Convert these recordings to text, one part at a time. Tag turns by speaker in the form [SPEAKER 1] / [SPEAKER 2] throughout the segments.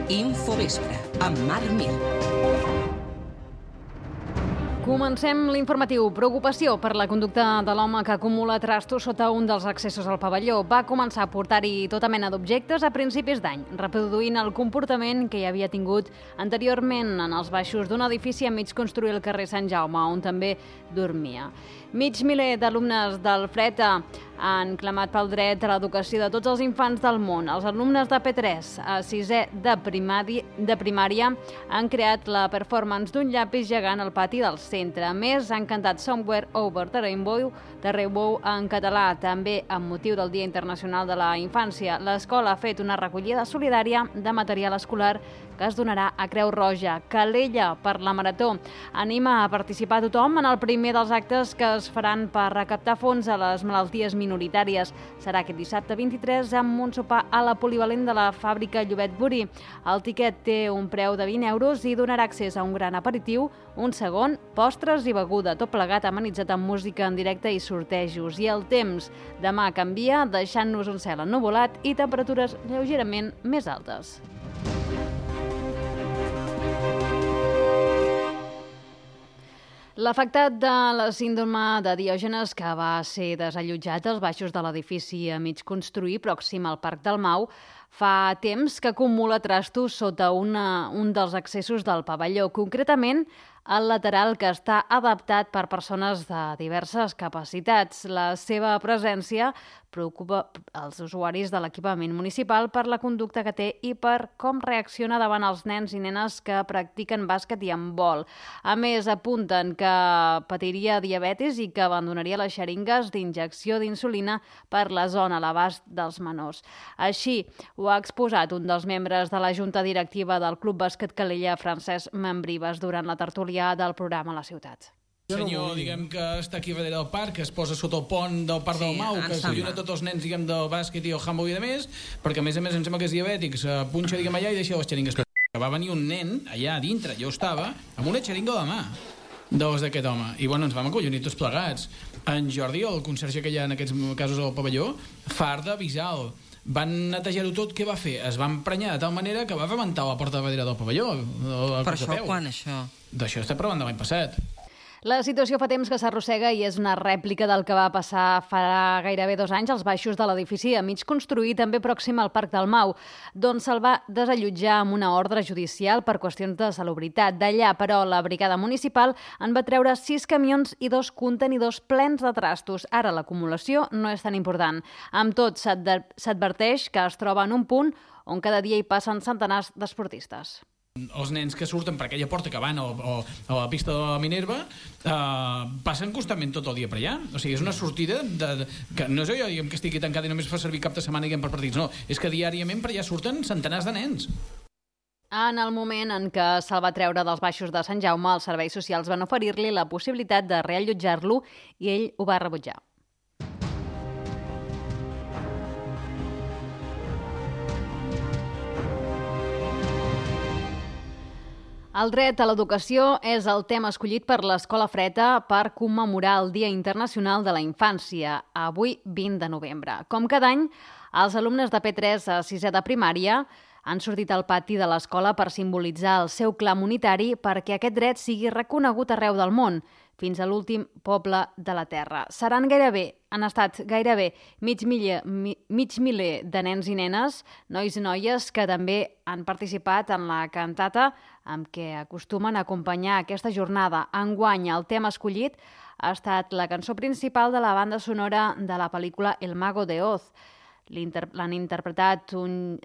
[SPEAKER 1] Infovespre, amb Marc Mir.
[SPEAKER 2] Comencem l'informatiu. Preocupació per la conducta de l'home que acumula trastos sota un dels accessos al pavelló. Va començar a portar-hi tota mena d'objectes a principis d'any, reproduint el comportament que hi havia tingut anteriorment en els baixos d'un edifici a mig construir al carrer Sant Jaume, on també dormia. Mig miler d'alumnes del FRETA han clamat pel dret a l'educació de tots els infants del món. Els alumnes de P3 a 6è de primària han creat la performance d'un llapis gegant al pati del centre. A més, han cantat Somewhere Over the Rainbow en català, també amb motiu del Dia Internacional de la Infància. L'escola ha fet una recollida solidària de material escolar que es donarà a Creu Roja. Calella per la Marató anima a participar tothom en el primer dels actes que es faran per recaptar fons a les malalties minoritàries. Serà aquest dissabte 23 amb un sopar a la polivalent de la fàbrica Llobet Borí. El tiquet té un preu de 20 euros i donarà accés a un gran aperitiu, un segon, postres i beguda, tot plegat amenitzat amb música en directe i sortejos. I el temps demà canvia, deixant-nos un cel ennuvolat i temperatures lleugerament més altes. L'afectat de la síndrome de Diògenes, que va ser desallotjat als baixos de l'edifici a mig construir pròxim al Parc del Mau, fa temps que acumula trastos sota un dels accessos del pavelló, concretament el lateral, que està adaptat per persones de diverses capacitats. La seva presència preocupa els usuaris de l'equipament municipal per la conducta que té i per com reacciona davant els nens i nenes que practiquen bàsquet i handbol. A més, apunten que patiria diabetis i que abandonaria les xeringues d'injecció d'insulina per la zona a l'abast dels menors. Així ho ha exposat un dels membres de la junta directiva del Club Bàsquet Calella, Francesc Membrives, durant la tertúlia del programa a la ciutat.
[SPEAKER 3] Senyor, diguem que està aquí darrere del parc, que es posa sota el pont del Parc del Mau, que s'alluna tots els nens, diguem, del bàsquet i el handball i de més, perquè a més em sembla que és diabètic, se punxa, diguem, allà i deixa les xeringues. Va venir un nen allà dintre, jo estava, amb una xeringa a la mà d'aquest home, i bueno, ens vam acollonir tots plegats. En Jordi, el conserge que hi ha en aquests casos al pavelló, fart d'avisar-lo. Van netejar-ho tot, què va fer? Es va emprenyar de tal manera que va rebentar la porta de darrere del pavelló.
[SPEAKER 4] Per això, quan, això?
[SPEAKER 3] D'això està parlant de l'any passat.
[SPEAKER 2] La situació fa temps que s'arrossega i és una rèplica del que va passar fa gairebé 2 anys als baixos de l'edifici a mig construir, també pròxim al Parc del Mau, d'on se'l va desallotjar amb una ordre judicial per qüestions de salubritat. D'allà, però, la brigada municipal en va treure 6 camions i 2 contenidors plens de trastos. Ara l'acumulació no és tan important. Amb tot, s'adverteix que es troba en un punt on cada dia hi passen centenars d'esportistes.
[SPEAKER 3] Els nens que surten per aquella porta que van a la pista de la Minerva passen constantment tot el dia per allà. O sigui, és una sortida que no és allò, diguem, que estigui tancada i només fa servir cap de setmana, diguem, per partits. No, és que diàriament per allà surten centenars de nens.
[SPEAKER 2] En el moment en què se'l va treure dels baixos de Sant Jaume, els serveis socials van oferir-li la possibilitat de reallotjar-lo i ell ho va rebutjar. El dret a l'educació és el tema escollit per l'Escola FRETA per commemorar el Dia Internacional de la Infància, avui 20 de novembre. Com cada any, els alumnes de P3 a 6è de primària han sortit al pati de l'escola per simbolitzar el seu clam unitari perquè aquest dret sigui reconegut arreu del món, fins a l'últim poble de la Terra. Han estat gairebé mig miler de nens i nenes, nois i noies, que també han participat en la cantata amb què acostumen a acompanyar aquesta jornada. Enguany, el tema escollit ha estat la cançó principal de la banda sonora de la pel·lícula El Mago de Oz. L'han interpretat un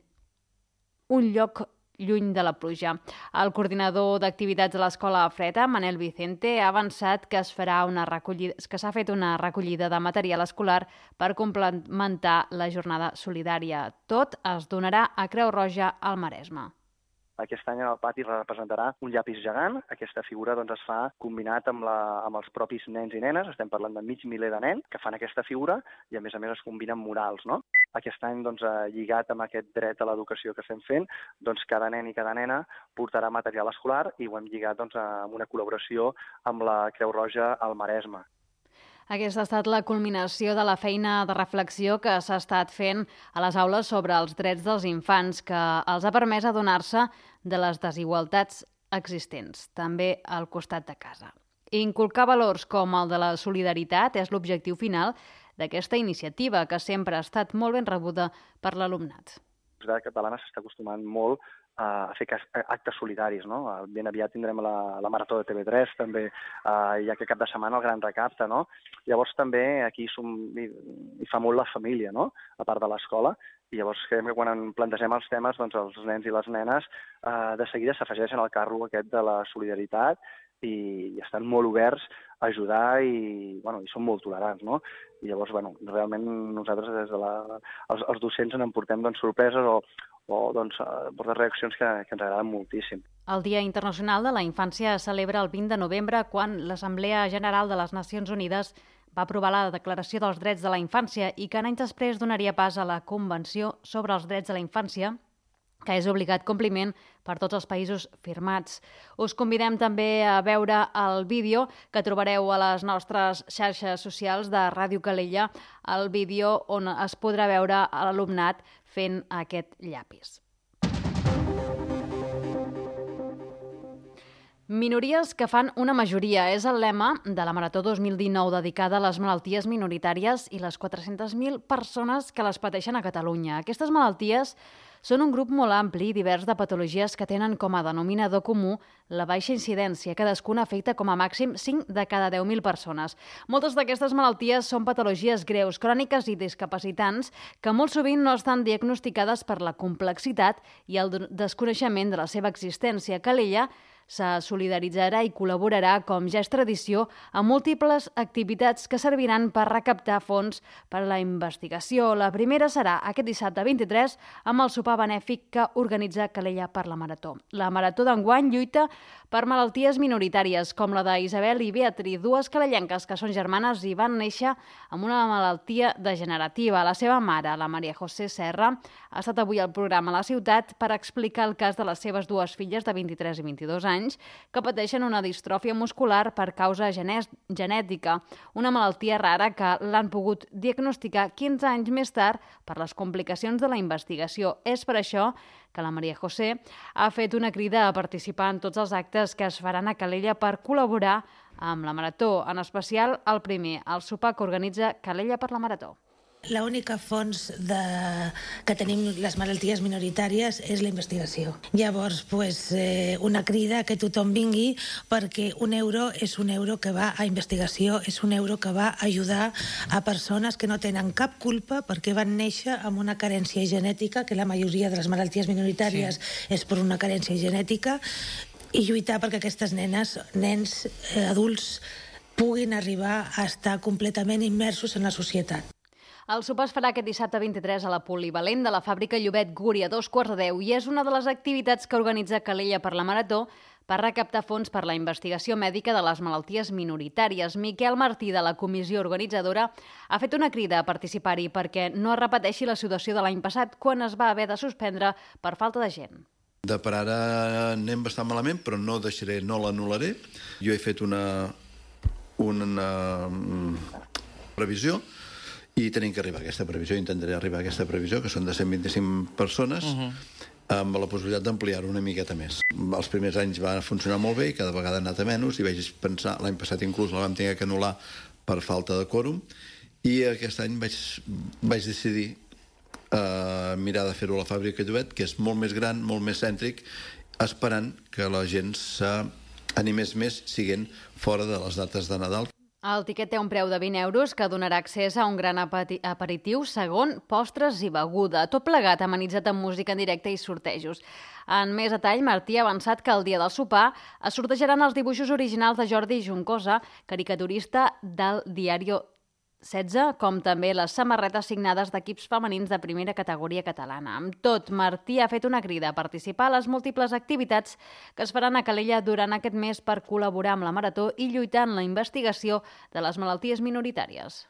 [SPEAKER 2] lloc lluny de la pluja. El coordinador d'activitats de l'Escola FRETA, Manel Vicente, ha avançat que s'ha fet una recollida de material escolar per complementar la jornada solidària. Tot es donarà a Creu Roja al Maresme.
[SPEAKER 5] Aquest any el pati representarà un llapis gegant. Aquesta figura es fa combinat amb els propis nens i nenes. Estem parlant de mig miler de nens que fan aquesta figura i a més es combinen murals, no? Aquest any, lligat amb aquest dret a l'educació que estem fent, cada nen i cada nena portarà material escolar i ho hem lligat amb una col·laboració amb la Creu Roja al Maresme.
[SPEAKER 2] Aquesta ha estat la culminació de la feina de reflexió que s'ha estat fent a les aules sobre els drets dels infants, que els ha permès adonar-se de les desigualtats existents, també al costat de casa. Inculcar valors com el de la solidaritat és l'objectiu final d'aquesta iniciativa, que sempre ha estat molt ben rebuda per l'alumnat.
[SPEAKER 5] La societat catalana s'està acostumant molt a fer actes solidaris, no? Ben aviat tindrem la Marató de TV3, també hi ha aquest cap de setmana el Gran Recapte, no? Llavors també aquí hi fa molt la família, no? A part de l'escola, i llavors creiem que quan plantegem els temes, doncs els nens i les nenes de seguida s'afegeixen al carro aquest de la solidaritat i estan molt oberts a ajudar i són molt tolerants, no? I llavors, realment nosaltres des de els docents en portem sorpreses o portar reaccions que ens agraden moltíssim.
[SPEAKER 2] El Dia Internacional de la Infància es celebra el 20 de novembre, quan l'Assemblea General de les Nacions Unides va aprovar la Declaració dels Drets de la Infància i que anys després donaria pas a la Convenció sobre els Drets de la Infància, que és obligat compliment per tots els països firmats. Us convidem també a veure el vídeo que trobareu a les nostres xarxes socials de Ràdio Calella, el vídeo on es podrà veure l'alumnat fent aquest llapis. Minories que fan una majoria és el lema de la Marató 2019 dedicada a les malalties minoritàries i les 400.000 persones que les pateixen a Catalunya. Aquestes malalties són un grup molt ampli i divers de patologies que tenen com a denominador comú la baixa incidència. Cadascuna afecta com a màxim 5 de cada 10.000 persones. Moltes d'aquestes malalties són patologies greus, cròniques i discapacitants que molt sovint no estan diagnosticades per la complexitat i el desconeixement de la seva existència. Calella se solidaritzarà i col·laborarà, com ja és tradició, amb múltiples activitats que serviran per recaptar fons per a la investigació. La primera serà aquest dissabte 23 amb el sopar benèfic que organitza Calella per la Marató. La Marató d'enguany lluita per malalties minoritàries, com la d'Isabel i Beatriz, dues calellenques que són germanes i van néixer amb una malaltia degenerativa. La seva mare, la Maria José Serra, ha estat avui al programa a la ciutat per explicar el cas de les seves dues filles de 23 i 22 anys que pateixen una distròfia muscular per causa genètica, una malaltia rara que l'han pogut diagnosticar 15 anys més tard per les complicacions de la investigació. És per això que la Maria José ha fet una crida a participar en tots els actes que es faran a Calella per col·laborar amb la Marató, en especial el primer, el sopar que organitza Calella per la Marató.
[SPEAKER 6] L'única fons que tenim les malalties minoritàries és la investigació. Llavors, una crida que tothom vingui, perquè un euro és un euro que va a investigació, és un euro que va a ajudar a persones que no tenen cap culpa perquè van néixer amb una carència genètica, que la majoria de les malalties minoritàries és per una carència genètica, i lluitar perquè aquestes nenes, nens, adults, puguin arribar a estar completament immersos en la societat.
[SPEAKER 2] El sopar es farà aquest dissabte 23 a la Polivalent de la fàbrica Llobet Guri a 2:15 i és una de les activitats que organitza Calella per la Marató per recaptar fons per la investigació mèdica de les malalties minoritàries. Miquel Martí, de la comissió organitzadora, ha fet una crida a participar-hi perquè no es repeteixi la situació de l'any passat, quan es va haver de suspendre per falta de gent.
[SPEAKER 7] De per ara anem bastant malament, però no l'anul·laré. Jo he fet una previsió i tenim que arribar a aquesta previsió, intentaré arribar a aquesta previsió, que són de 125 persones, amb la possibilitat d'ampliar-ho una miqueta més. Els primers anys va funcionar molt bé i cada vegada ha anat a menys, i vaig pensar, l'any passat inclús la vam tenir que anul·lar per falta de quòrum, i aquest any vaig decidir mirar de fer-ho a la fàbrica Llobet, que és molt més gran, molt més cèntric, esperant que la gent s'animés més siguent fora de les dates de Nadal.
[SPEAKER 2] El tiquet té un preu de 20 euros que donarà accés a un gran aperitiu, segon, postres i beguda. Tot plegat amenitzat amb música en directe i sortejos. En més detall, Martí ha avançat que el dia del sopar es sortejaran els dibuixos originals de Jordi Juncosa, caricaturista del Diario 16, com també les samarretes signades d'equips femenins de primera categoria catalana. Amb tot, Martí ha fet una crida a participar a les múltiples activitats que es faran a Calella durant aquest mes per col·laborar amb la Marató i lluitar en la investigació de les malalties minoritàries.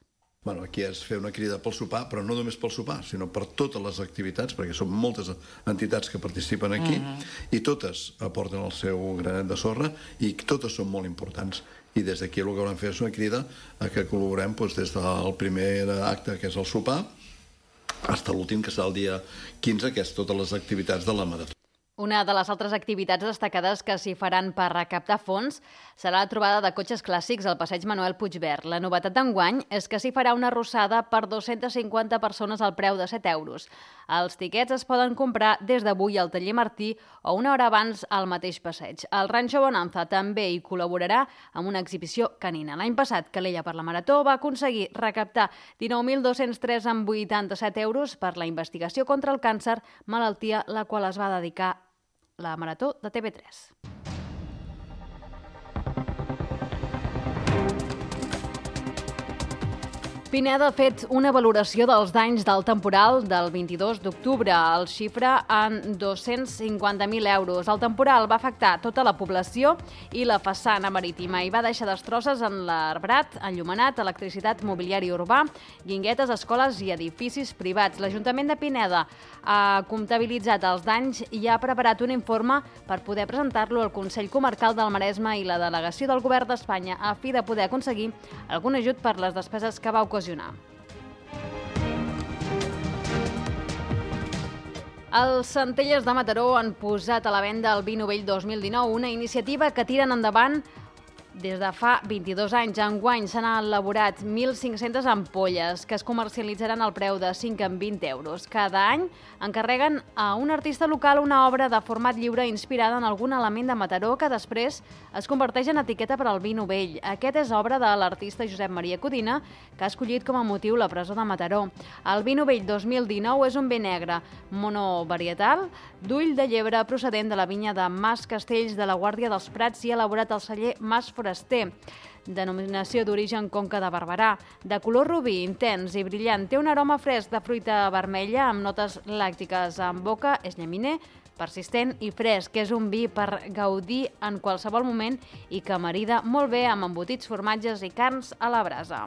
[SPEAKER 7] Aquí és fer una crida pel sopar, però no només pel sopar, sinó per totes les activitats, perquè són moltes entitats que participen aquí, i totes aporten el seu granet de sorra, i totes són molt importants. i des d'aquí el que volem fer és una crida a que col·laborem des del primer acte, que és el sopar, fins a l'últim, que serà el dia 15, que és totes les activitats de la marató.
[SPEAKER 2] Una de les altres activitats destacades que s'hi faran per recaptar fons serà la trobada de cotxes clàssics al passeig Manuel Puigvert. La novetat d'enguany és que s'hi farà una arrossada per 250 persones al preu de 7 euros. Els tiquets es poden comprar des d'avui al taller Martí o una hora abans al mateix passeig. El Rancho Bonanza també hi col·laborarà amb una exhibició canina. L'any passat, Calella per la Marató va aconseguir recaptar 19.203 amb 87 euros per la investigació contra el càncer, malaltia la qual es va dedicar la Marató de TV3. Pineda ha fet una valoració dels danys del temporal del 22 d'octubre. El xifra en 250.000 euros. El temporal va afectar tota la població i la façana marítima i va deixar destrosses en l'arbrat, enllumenat, electricitat, mobiliari urbà, guinguetes, escoles i edificis privats. L'Ajuntament de Pineda ha comptabilitzat els danys i ha preparat un informe per poder presentar-lo al Consell Comarcal del Maresme i la delegació del Govern d'Espanya a fi de poder aconseguir algun ajut per les despeses que va ocasionar. Els Centelles de Mataró han posat a la venda el vi novell 2019, una iniciativa que tiren endavant des de fa 22 anys. Enguany s'han elaborat 1.500 ampolles que es comercialitzaran al preu de 5 en 20 euros. Cada any encarreguen a un artista local una obra de format lliure inspirada en algun element de Mataró que després es converteix en etiqueta per al vi novell. Aquest és obra de l'artista Josep Maria Codina, que ha escollit com a motiu la presó de Mataró. El vi novell 2019 és un vi negre monovarietal d'ull de llebre procedent de la vinya de Mas Castells de la Guàrdia dels Prats i elaborat al celler Mas Foraster, denominació d'origen Conca de Barberà. De color rubí, intens i brillant, té un aroma fresc de fruita vermella amb notes làctiques. En boca és llaminer, persistent i fresc, que és un vi per gaudir en qualsevol moment i que marida molt bé amb embotits, formatges i carns a la brasa.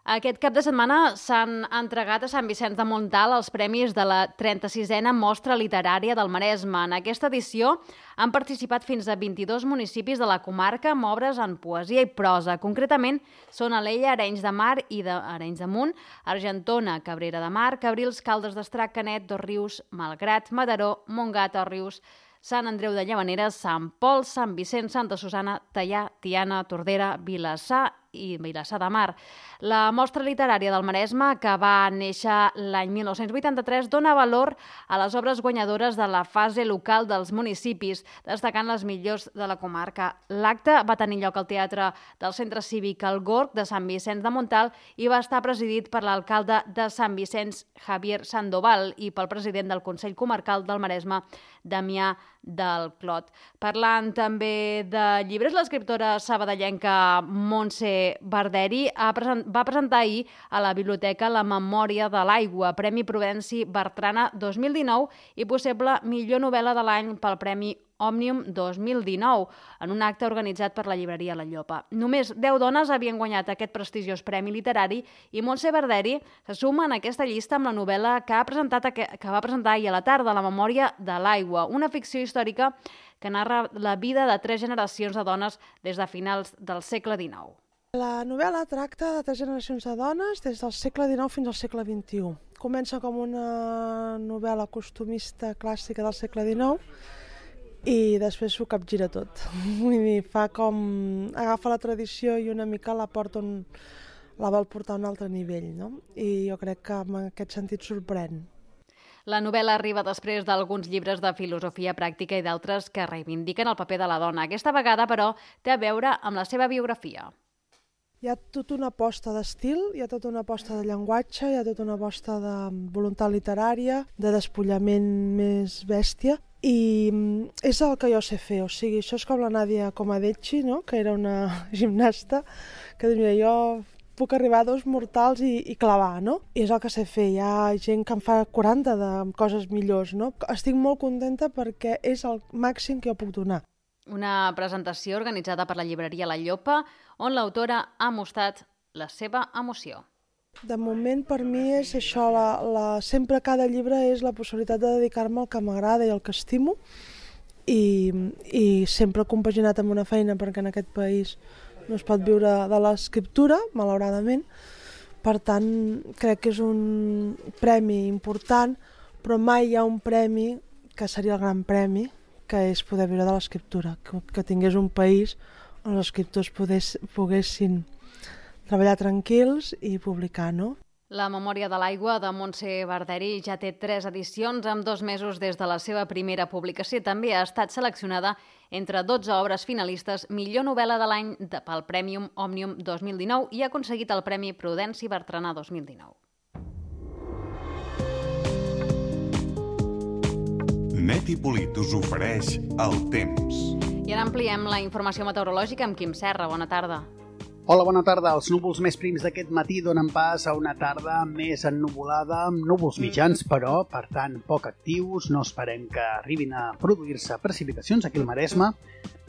[SPEAKER 2] Aquest cap de setmana s'han entregat a Sant Vicenç de Montalt els premis de la 36a Mostra Literària del Maresme. En aquesta edició han participat fins a 22 municipis de la comarca amb obres en poesia i prosa. Concretament, són Alella, Arenys de Mar i Arenys de Munt, Argentona, Cabrera de Mar, Cabrils, Caldes d'Estrac, Canet, Dosrius, Malgrat, Mataró, Montgat, Òrrius, Sant Andreu de Llavaneres, Sant Pol, Sant Vicenç, Santa Susana, Teià, Tiana, Tordera, Vilassar i Vilassar de Mar. La Mostra Literària del Maresme, que va néixer l'any 1983, dona valor a les obres guanyadores de la fase local dels municipis, destacant les millors de la comarca. L'acte va tenir lloc al Teatre del Centre Cívic El Gorg de Sant Vicenç de Montalt i va estar presidit per l'alcalde de Sant Vicenç, Javier Sandoval, i pel president del Consell Comarcal del Maresme, Damià del Clot. Parlant també de llibres, l'escriptora sabadellenca Montse Barderi va presentar ahir a la biblioteca La memòria de l'aigua, Premi Prudenci Bertrana 2019 i possible millor novel·la de l'any pel Premi Òmnium 2019, en un acte organitzat per la llibreria La Llopa. Només 10 dones havien guanyat aquest prestigiós premi literari i Montse Barderi se suma en aquesta llista amb la novel·la que va presentar ahir a la tarda, La memòria de l'aigua, una ficció històrica que narra la vida de 3 generacions de dones des de finals del segle XIX.
[SPEAKER 8] La novel·la tracta de 3 generacions de dones des del segle XIX fins al segle XXI. Comença com una novel·la costumista clàssica del segle XIX i després s'ho capgira tot. Vull dir, fa com... agafa la tradició i una mica la vol portar a un altre nivell, no? I jo crec que en aquest sentit sorprèn.
[SPEAKER 2] La novel·la arriba després d'alguns llibres de filosofia pràctica i d'altres que reivindiquen el paper de la dona. Aquesta vegada, però, té a veure amb la seva biografia.
[SPEAKER 8] Hi ha tota una aposta d'estil, hi ha tota una aposta de llenguatge, hi ha tota una aposta de voluntat literària, de despullament més bèstia, i és el que jo sé fer, o sigui, això és com la Nadia Comaneci, no? Que era una gimnasta, que dius, mira, jo puc arribar a 2 mortals i clavar, no? I és el que sé fer, hi ha gent que em fa 40 de coses millors, no? Estic molt contenta perquè és el màxim que jo puc donar.
[SPEAKER 2] Una presentació organitzada per la llibreria La Llopa, on l'autora ha mostrat la seva emoció.
[SPEAKER 8] De moment, per mi, és això. Sempre cada llibre és la possibilitat de dedicar-me al que m'agrada i al que estimo, i sempre compaginat amb una feina, perquè en aquest país no es pot viure de l'escriptura, malauradament. Per tant, crec que és un premi important, però mai hi ha un premi que seria el gran premi, que és poder viure de l'escriptura, que tingués un país on els escriptors poguessin treballar tranquils i publicar, no?
[SPEAKER 2] La Memòria de l'aigua de Montse Barderi ja té 3 edicions amb 2 mesos des de la seva primera publicació. També ha estat seleccionada entre 12 obres finalistes millor novel·la de l'any pel Premi Òmnium 2019 i ha aconseguit el Premi Prudenci Bertranà 2019.
[SPEAKER 9] Net i Polit us ofereix el temps.
[SPEAKER 2] I ara ampliem la informació meteorològica amb Quim Serra. Bona tarda.
[SPEAKER 10] Hola, bona tarda. Els núvols més prims d'aquest matí donen pas a una tarda més ennuvolada, amb núvols mitjans, però, per tant, poc actius. No esperem que arribin a produir-se precipitacions aquí al Maresme,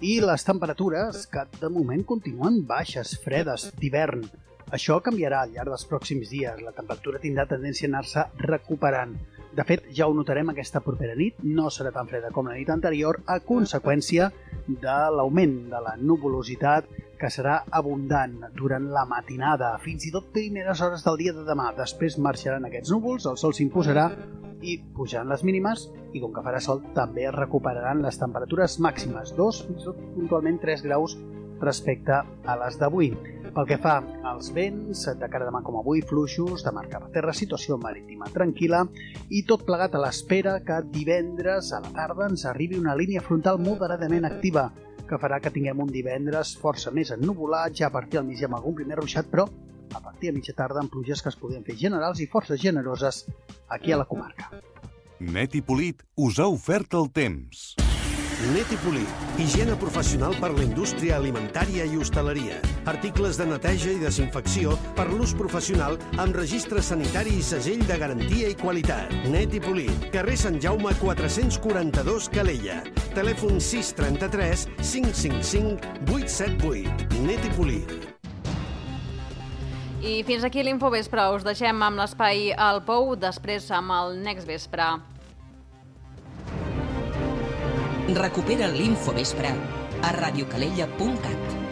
[SPEAKER 10] i les temperatures, que de moment continuen baixes, fredes, d'hivern. Això canviarà al llarg dels pròxims dies. La temperatura tindrà tendència a anar-se recuperant. De fet, ja ho notarem aquesta propera nit. No serà tan freda com la nit anterior, a conseqüència de l'augment de la nuvolositat, que serà abundant durant la matinada, fins i tot primeres hores del dia de demà. Després marxaran aquests núvols, el sol s'imposarà i pujaran les mínimes, i com que farà sol també es recuperaran les temperatures màximes, 2, fins i tot puntualment 3 graus respecte a les d'avui. Pel que fa als vents, de cara a demà com avui, fluixos, de mar cap a terra, situació marítima tranquil·la, i tot plegat a l'espera que divendres a la tarda ens arribi una línia frontal moderadament activa, que farà que tinguem un divendres força més ennuvolat, ja a partir del migdia amb algun primer ruixat, però a partir de mitja tarda amb pluges que es podien fer generals i força generoses aquí a la comarca.
[SPEAKER 9] Net i Polit us ha ofert el temps.
[SPEAKER 11] Net i Polit, higiene professional per la indústria alimentària i hostaleria. Articles de neteja i desinfecció per l'ús professional amb registre sanitari i segell de garantia i qualitat. Net i Polit, carrer Sant Jaume 442, Calella. Telèfon 633 555 878. Net i Polit.
[SPEAKER 2] I fins aquí l'Infovespre. Us deixem amb l'espai al Pou, després amb el Next Vespre.
[SPEAKER 1] Recupera l'Infovespre a radiocalella.cat.